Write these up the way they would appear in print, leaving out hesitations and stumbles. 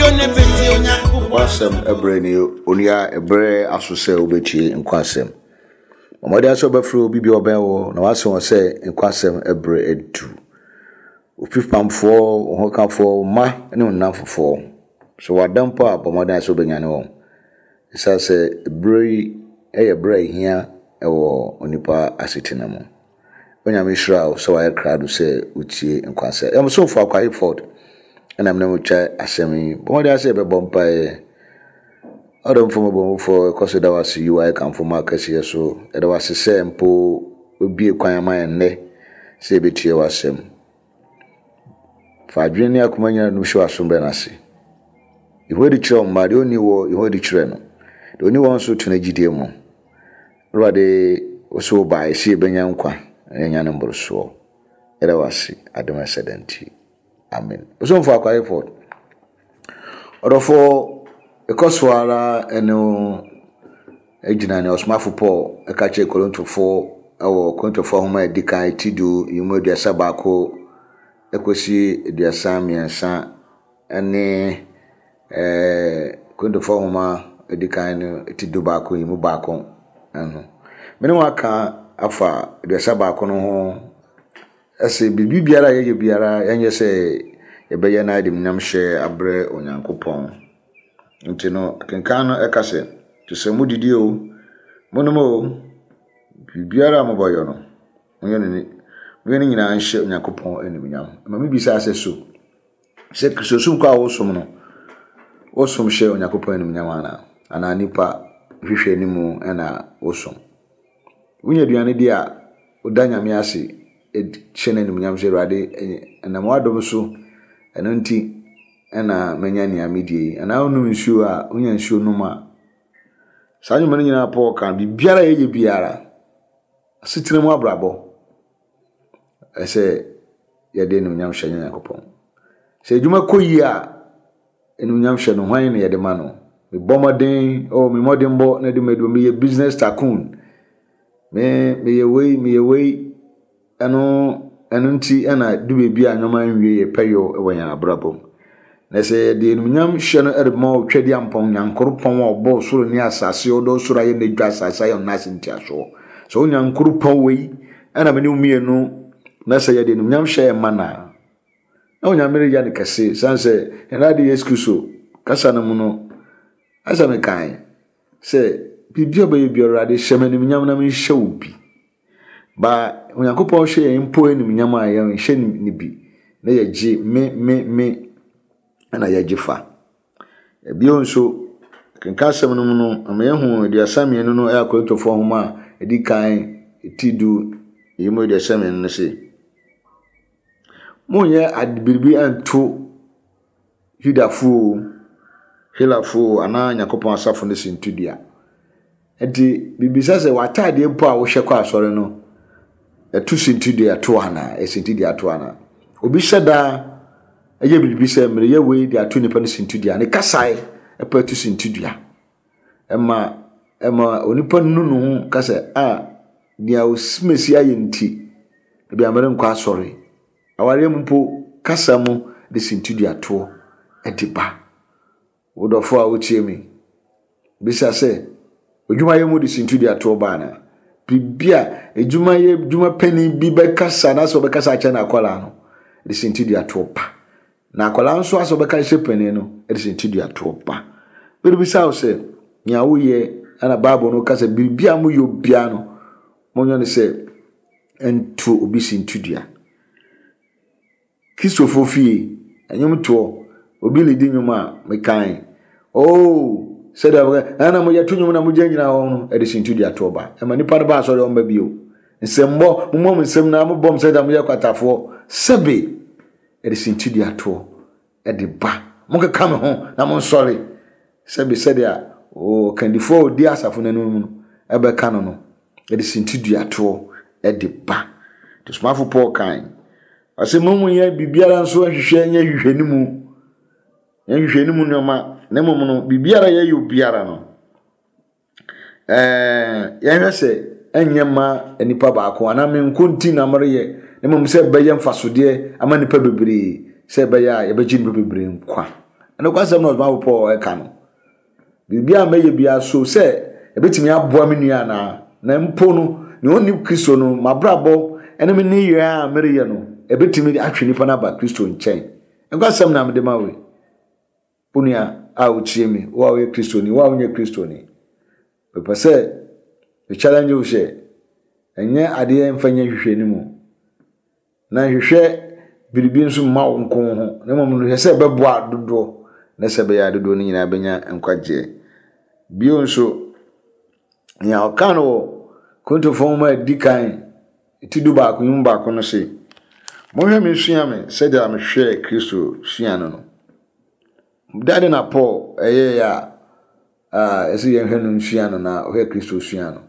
Nkwasɛm ɛberɛ ni onua ɛberɛ aso sɛ wobɛtie nkwasɛm. Bɔ mmɔden sɛ wobɛfrɛ obi bi a ɔbɛn wo na wase wɔn sɛ nkwasɛm ɛberɛ adu. Ofipamfoɔ, wo hokafoɔ, wo mma ne wo nnamfofoɔ. Sɛ wɔada mpo a bɔ mmɔden sɛ wobɛnyane wɔn. Ɛsiane sɛ berɛ yi yɛ berɛ a ɛhia wɔ onipa asetena mu. Onyame nhyira wo sɛ wayɛ krado sɛ wotie nkwansɛ. Yɛn somfo Akwa Hayford ɛna mene mo kyɛ asɛm yi. Bɔ mmɔden sɛ yɛbɛbɔ mpaeɛ. Ɔdomfo mmɔbɔhufo ɛkɔ so da wo ase yi wayɛ kamfo ma akɛseɛ so. Yɛda wo ase sɛ mpo wobie kwan ama yɛn nnɛ sɛ yɛbɛtie w'asɛm. Fa adwene ne akoma nyinaa num hyɛ w'asom bɛ no ase. Yehowa adi kyerɛ wo mma, deɛ ɔnni wɔ Yehowa adi kyerɛ no. Deɛ ɔnni wɔ nso to no gyidie mu. Awurade, wo so wobaeɛ sɛ yɛbɛnya nkwa na yɛanya no mborosoɔ. Yɛda wo ase adom a ɛsɛ da nti. Amen. Osomfo Akwa Hayford, ɔdɔfoɔ, ɛkɔ so ara ɛne wo gyina nea ɔsomafo Paul ɛka kyerɛ Korintofoɔ ɛwɔ Korintofoɔ nhoma a ɛdi kan ti du yi mu 31 ɛkɔsi 33 ɛne ɛɛ Korintofoɔ nhoma a ɛdi kan no ti 11 yi mu baako ho. Me ne wo aka afa 31 no ho ɛsɛ biribi biara a yɛyɛ biara yɛnyɛ sɛ yɛbɛyɛ na yɛde nyamhyɛ abrɛ Onyankopɔn. Nti no, kenkan no ɛka sɛ, te sɛ modidi o, monom o, biribiara a mobɛyɛ no, monyɛ no monyɛ no nyinaa nhyɛ Onyankopɔn animuonyam. Ma mebisa sɛ so, sɛ Kristosom kɔ a wosom no, wosom hyɛ Onyankopɔn animuonyam anaa? Anaa nipa hwehwɛ anim na wosom? Wonya aduane di a, woda Nyame ase hyɛ no animuonyam sɛ Awurade ɛnam w'adom so ɛno nti ɛna manya nea medie yi. Anaa wonom nsuo a, wonya nsuo nom a. Saa nnwuma no nyinaa Paul ka, biribiara a yɛyɛ biara, asetena mu abrabɔ, ɛsɛ yɛde animuonyam hyɛ Nyankopɔn. Sɛ adwuma kɔ yie a, animuonyam hyɛ no, hwan na yɛde ma no? Mebɔ mmɔden, oh, me mmɔdenbɔ na ɛde m'adwuma, meyɛ business tycoon. Me, meyɛ wei, meyɛ wei. Ɛno, ɛno nti ɛna du baabi a nneɛma nwie yɛ pɛyɔ wɔ yɛn abrabɔ mu. Na sɛ yɛde animuonyam hyɛ no de ma Otwadiampɔn, Nyankoropɔn a ɔbɔɔ soro ne asase, ɔdɔ soro ayɛ n'adwa, asase ayɛ ɔno ase ntiasoɔ. Sɛ wo Nyankoropɔn wei ɛna me ne wo mmienu na sɛ yɛde animuonyam hyɛ ɛma no a, na Onyame reyɛ no kɛse, sane sɛ yɛn Awurade Yesu Kristo kasa no mu no, asɛ mekae sɛ biribi a ɔbɛyɛ biara Awurade hyɛ me animuonyam na menhyɛ wo bi. Ba Onyankopɔn hyɛ yɛn mpo animuonyam a yɛnhyɛ no bi na yɛgye me me me na yɛgye fa. Bio nso, kenkan asɛm no mu no, ama yɛahu 32 no ɛyɛ Akorintofoɔ nhoma a ɛdi kan ti du yi mu 32 no se, Monnyɛ ade biribi nto Yudafo oo, Helafo oo, anaa Nyankopɔn asafo no sintidua. Enti mibisa sɛ, w'ataadeɛ mpo a wohyɛ kɔ asɔre no, ɛto sintidua to anaa? Ɛsintidua to anaa? Obi hyɛ daa ɛyɛ biribi sɛ mereyɛ wei de ato nipa no sintidua. Ne kasae ɛpɛ to sintidua. Ɛma ɛma onipa nu ne ho ka sɛ, a nea osimesi ayɛ nti, ebi a merenkɔ asɔre. Awareɛ mu mpo, kasa mu de sintiduatoɔ de ba. Wo dɔfoɔ a wotie me, bisa sɛ, odwumayɛ mu de sintiduatoɔ ba anaa? Biribi a adwumayɛ adwuma panin bi bɛkasa anaasɛ ɔbɛkasa akyerɛ n'akwadaa no de sintiduatoɔ ba. Na akwadaa nso asɛ ɔbɛka akyerɛ panin no de sintiduatoɔ ba. Merebisa wo sɛ, nea woyɛ ɛna Bible no ka sɛ biribi a moyɛ obiara no, monyɛ no sɛ nto obi sintidua. Kristofo fie, nnwomtoɔ, obi redi nnwom a, mekan. Oh, sɛdeɛ wɔka, ɛna mo yɛto nnwom na mogyinagyina hɔ no, ɛde sintidua toɔ ba. Ɛma nipa no ba asɔre ɔmba bio. Nsɛmbɔ, mommɔ mo nsɛm na mobɔ mo sɛdeɛ moyɛ kwatafoɔ. Sɛbe, ɛde sintidua toɔ. de ba. Monkeka me ho na monsɔre. Sɛbe sɛdeɛ ɔkandifoɔ a ɔdi asafo no anim no bɛka no no, de sintiduatoɔ de ba. Nti Ɔsomafo Paul kae, ɔse mo mu nyɛ biribiara nso nhwehwɛ nyɛ nhwehwɛnimu, nyɛ nhwehwɛnimu nneɛma, na mmom no biribiara yɛyɛ obiara no, Ɛɛ, yɛnhwɛ sɛ ɛnyɛ mma nipa baako anaa me nko nti na mereyɛ, na mmom sɛ ɛbɛyɛ mfasodeɛ ama nnipa bebree, sɛ ɛbɛyɛ a yɛbɛgye nnipa bebree nkwa. Ɛnokwasɛm na ɔsomafo Paul ɛka no. Biribi a mɛyɛ biara so sɛ ɛbɛtumi aboa me nua anaa, na mpo no, nea ɔnni Kristo no, m'abrabɔ ne me nneyɛɛ a mereyɛ no, ɛbɛtumi atwe nipa no aba Kristo nkyɛn. Nokwasɛm na mede ma wo yi. Wo nua a wotie me, wo a woyɛ Kristoni, wo a wonyɛ Kristoni, mepɛ sɛ me challenge wo sɛ, ɛnyɛ adeɛ mfa nyɛ nhwehwɛnimu. Na nhwehwɛ biribi nso mma wo nko wo ho, na mmom no hwɛ sɛ ɛbɛboa dodoɔ, na sɛ ɛbɛyɛ a dodoɔ no nyinaa bɛnya nkwagyeɛ. Bio nso, nea ɔka no wɔ Korintofoɔ nwoma a ɛdi kan ti 11 yi mu baako no se, Monhwɛ me nsua me sɛdeɛ mehwɛɛ Kristo sua no no. Dɛn na Paul ɛyɛeɛ a ɛsɛ yɛnhwɛ no nsua no na ɔhwɛ Kristo sua no?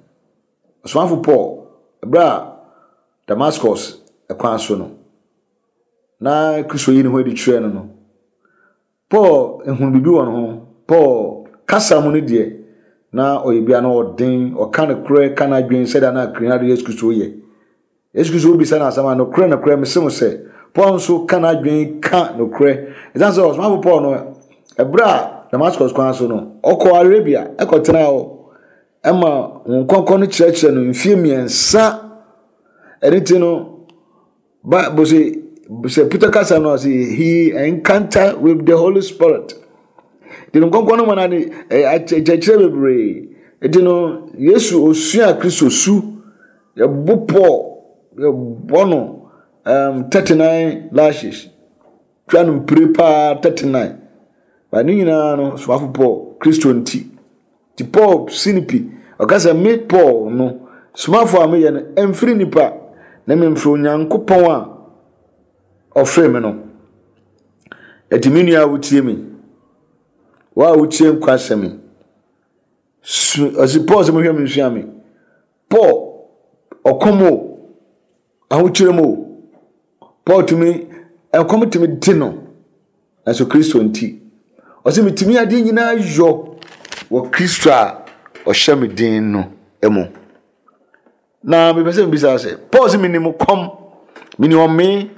Ɔsomafo Paul, bere a Damascus kwan so no, na Kristo yi ne ho adi kyerɛɛ no no, Paul hunu biribi wɔ ne ho. Paul kasa mu no deɛ, na ɔyɛ bi a na ɔden, ɔka nokorɛ, ka n'adwene sɛdeɛ na Kristo Yesu Kristo yɛ. Yesu Kristo bisa no asɛm a, nokorɛ nokorɛ mese mo sɛ, Paul nso ka n'adwene ka nokorɛ. Ɛsiane sɛ ɔsomafo Paul no, ɛberɛ a Damascus kwan so no, ɔkɔɔ Arabia ɛkɔtenaa hɔ ɛma wɔn kɔnkɔn no kyerɛkyerɛ no mfie mmiɛnsa. Ɛno ti no, Bible sɛ sɛ Peter kasa no ɔsɛ he encounter with the Holy Spirit. Nti no nkɔnkɔn no ma no akyerɛkyerɛ bebree. Nti no Yesu osua Kristo su. Yɛbo Paul, yɛbɔ no um, 39 lashes. Twa no mpire paa 39. Ba ne nyinaa no somafo Paul, Kristo nti. Nti Paul si no pi. Ɔka sɛ me Paul no, somafo a meyɛ no, ɛmfiri nipa, na memfiri Onyankopɔn a ɔfrɛ me no. Ɛti me nua a wotie me, wo a wotie nkwa asɛm yi, su ɔsi Paul sɛ mohwɛ me nsua me. Paul, ɔkɔm o, ahokyerɛ mu o, Paul tumi, ɛkɔm tumi de no, nanso Kristo nti, ɔsɛ metumi adeɛ nyinaa yɔ wɔ Kristo a ɔhyɛ me den no mu. Na mepɛ sɛ mebisa sɛ, Paul sɛ menim kɔm, menim ɔmee,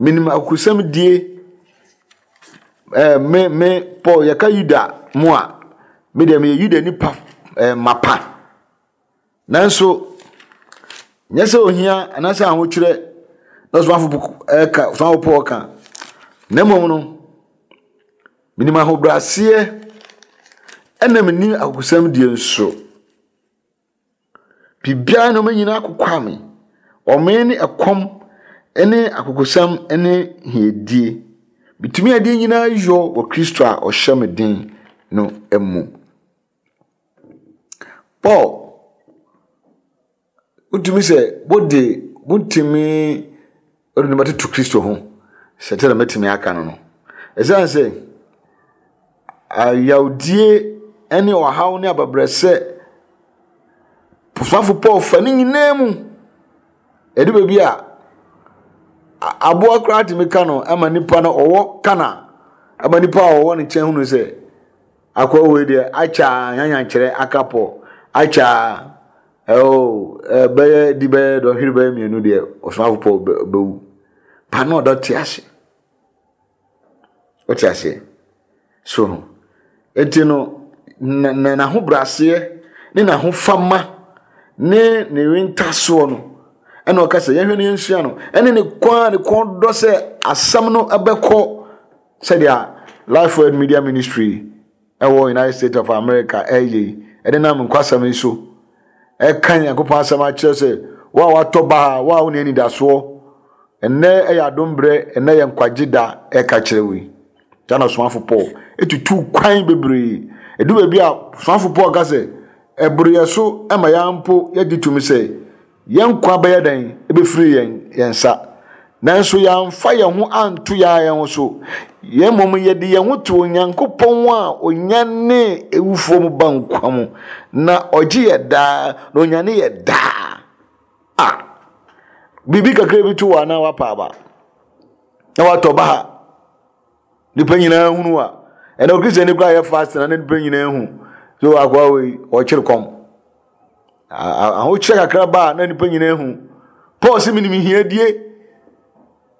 menim akusɛm die, ɛɛ me me Paul yɛka Yuda mu a, me deɛ meyɛ Yuda nipa ɛɛ mapa. Nanso, nyɛ sɛ ohia anaasɛ ahokyerɛ na ɔsomafo ɛka ɔsomafo Paul ka, na mmom no, menim ahobrɛaseɛ ɛna menim akokoɔsɛm die nso. Biribiara nneɛma nyinaa akokwa me. Ɔmee ne ɛkɔm ne akokosɛm ne hiadie. Metumi adeɛ nyinaa yɔ wɔ Kristo a ɔhyɛ me den no mu. Paul, wotumi sɛ wode wotumi wode nneɛma toto Kristo ho sɛ sɛdeɛ mɛtumi aka no no. Ɛsiane sɛ ayawdie ne ɔhaw ne abɛbrɛsɛ Ɔsomafo Paul fa ne nyinaa mu. Ɛdu baabi a aboa koraa tumi ka no ma nipa no ɔwɔ ka no a ma nipa a ɔwɔ ne nkyɛn hunu sɛ Akoa wei deɛ akyɛ a nyanyankyerɛ aka pɔ akyɛ a ɛo ɛbɛyɛ di bɛyɛ dɔnhwere bɛyɛ mmienu deɛ ɔsomafo pɔ bɛwu ba na ɔdɔ te ase wote aseɛ so no eti no na na n'ahobrɛaseɛ ne n'ahofama ne ne wentasoɔ no ɛna ɔka sɛ yɛhwɛ no yɛnsua no ɛne ne kɔn a ne kɔn dɔ sɛ asɛm no ɛbɛkɔ Sɛdeɛ Life Word Media Ministry ɛwɔ United States of America ɛyɛ yi, ɛde nam nkwasɛm yi so ɛka Nyankopɔn asɛm akyerɛ sɛ wo a watɔ baha, wo a wonni anidasoɔ, ɛnnɛ ɛyɛ adom berɛ, ɛnnɛ yɛ nkwagye da ɛka kyerɛ wo yi. Saa na ɔsomafo Paul ɛtutu kwan bebree. Ɛdu baabi a ɔsomafo Paul ka sɛ ɛboro yɛ so ma yɛn mpo yɛgye tumi sɛ Yɛn nkwa bɛyɛ dɛn bɛfiri yɛn yɛn nsa? Nanso yɛamfa yɛn ho anto yɛn ara yɛn ho so, yɛn mmom yɛde yɛn ho to Onyankopɔn a ɔnyanee awufoɔ mu ba nkwa mu, na ɔgye yɛ daa, na ɔnyane yɛ daa. A biribi kakra bi to wɔ anaa wapa aba na watɔ baha. Nipa nyinaa hunu a ɛnna okristiani koraa yɛ fast na ne nipa nyinaa hu so akoa wei ɔkyere kɔm. Ahokyerɛ kakra ba a na nipa nyinaa hu. Paul sɛ menim hiadie,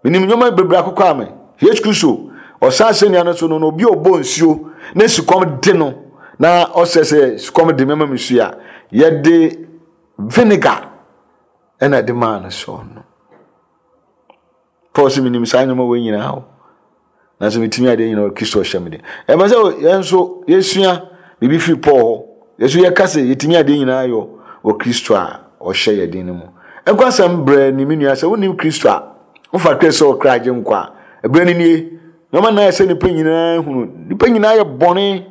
menim nneɛma bebree akokɔ ame. Yesu Kristo, Ɔsan asɛnnua no so no, na obi a ɔbɔ nsuo na sukɔm de no na ɔsɛ sɛ sukɔm de mɛma me nsuo a, yɛde vinegar ɛna ɛde maa no sɛ ɔno. Paul sɛ menim saa nneɛma wɔ nyinaa o. Nanso metumi adeɛ nyinaa wɔ Kristo ɔhyɛ me den. Ɛmɛ sɛ yɛn nso yɛsua biribi firi Paul hɔ. Yɛn nso yɛka sɛ yɛtumi adeɛ nyinaa yɔ wɔ Kristo a ɔhyɛ yɛ den no mu. Ɛnkɔ asɛm brɛ ne me nua sɛ wonim Kristo a, wofa Kristo sɛ ɔkra agye nkwa a, ɛberɛ no nie. Nneɛma nan sɛ nnipa nyinaa hunu. Nnipa nyinaa yɛ bɔne,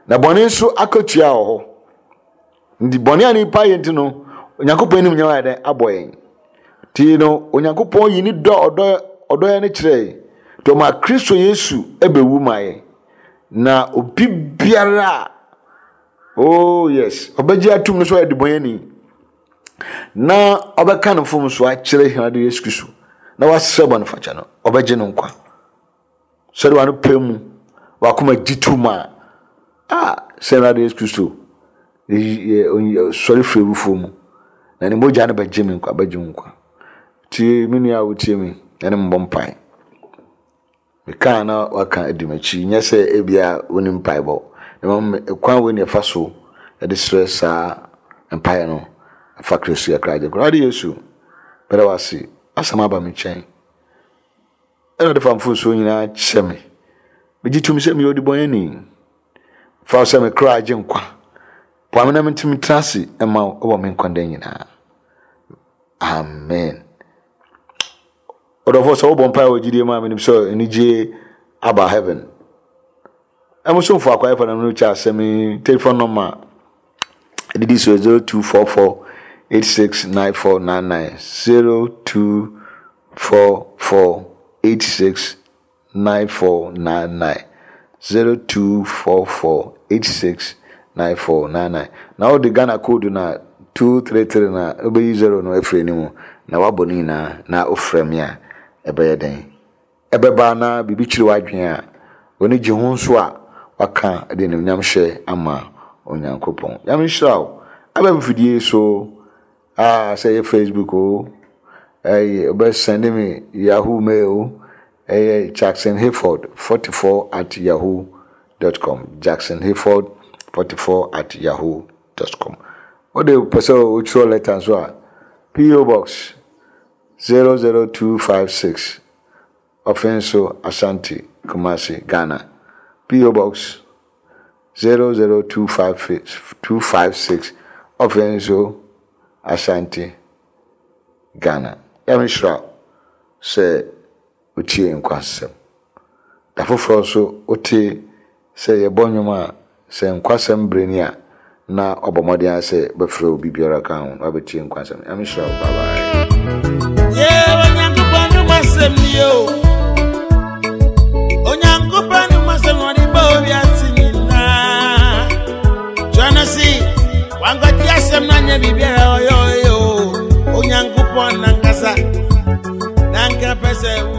na bɔne nso akatua wɔ hɔ. Nti bɔne a nnipa yɛ nti no, Onyankopɔn anim nyɛ ayɛ dɛn abɔ yɛn. Nti no, Onyankopɔn yi ne dɔ ɔdɔ ɔdɔ yɛn no kyerɛ yɛn. Nti ɔma Kristo Yesu bɛwu ma yɛn. Na obi biara a, oh yes, ɔbɛgye atum no sɛ ɔyɛ debɔnyɛni na ɔbɛka ne mfomso akyerɛ Awurade Yesu Kristo na wasrɛ bɔnefakyɛ no, ɔbɛgye no nkwa. Sɛde w'ano pɛ mu, w'akoma gye to mu a, a sɛ Awurade Yesu Kristo sɔre firi awufoɔ mu, na ne mogya no bɛgye me nkwa, bɛgye wo nkwa. Tie me nua a wotie me, ɛne mbɔ mpae. Mekaa na waka adi m'akyi, nyɛ sɛ ebia wonim mpaebɔ. Na mmom kwan wei na ɛfa so de srɛ saa mpaeɛ no, fa Kristo yɛ kra gye nkwa. Awurade Yesu, meda wo ase, asɛm aba me nkyɛn. Awurade fa mfomsoɔ nyinaa kyɛ me. Megye tom sɛ meyɛ ɔdebɔneyɛni. Fa wo sɛ me kra agye nkwa. Boa me na mentumi tena ase ma wo wɔ me nkwa nna nyinaa. Amen. Ɔdɔfoɔ sɛ wobɔ mpaeɛ wɔ gyidie mu a menim sɛ anigye aba heaven. Ɛmosomfo akwaeɛfo na mene kyɛ asɛm yi telephone number ɛdidi so 0244 869499 0244 869499 0244 869499 na wode Ghana code na 233 na wobɛyi 0 no afiri anim na wabɔ ne nyinaa na wofrɛ me a ɛbɛyɛ dɛn? Ɛbɛba na biribi kyere w'adwene a, w'ani gye ho nso a, waka de animuonyamhyɛ ama Onyankopɔn. Nyame nhyira wo. Aba mfidie yi so, ah, sɛ ɛyɛ Facebook o, ɛyɛ wobɛ send me Yahoo mail o, ɛyɛ Jackson Hayford 44 at yahoo dot com, Jackson Hayford 44 at yahoo dot com. Wode pɛ sɛ wotwerɛ lɛta nso a, PO Box 00256 Offinso Ashanti Kumasi Ghana P.O. Box 00256 Offinso Ashanti Ghana Nyame nhyira wo sɛ wotie nkwasɛm. Da foforɔ nso wote sɛ yɛbɔ nnwom a, sɛ nkwasɛm berɛ ni a, na wabɔ mmɔden ara sɛ wobɛfrɛ obi biara ka ho na wabɛtie nkwasɛm. Nyame nhyira wo. Bye bye. Yeah, Onyankopɔn no masɛm ni o. Onyankopɔn no masɛm ɔde bɔ wiase nyinaa. Twerɛ no se, wankɔte asɛm no anyɛ biribiara ɔyɛ ɔyɛ o. Onyankopɔn nankasa, nanka pɛ sɛ wo.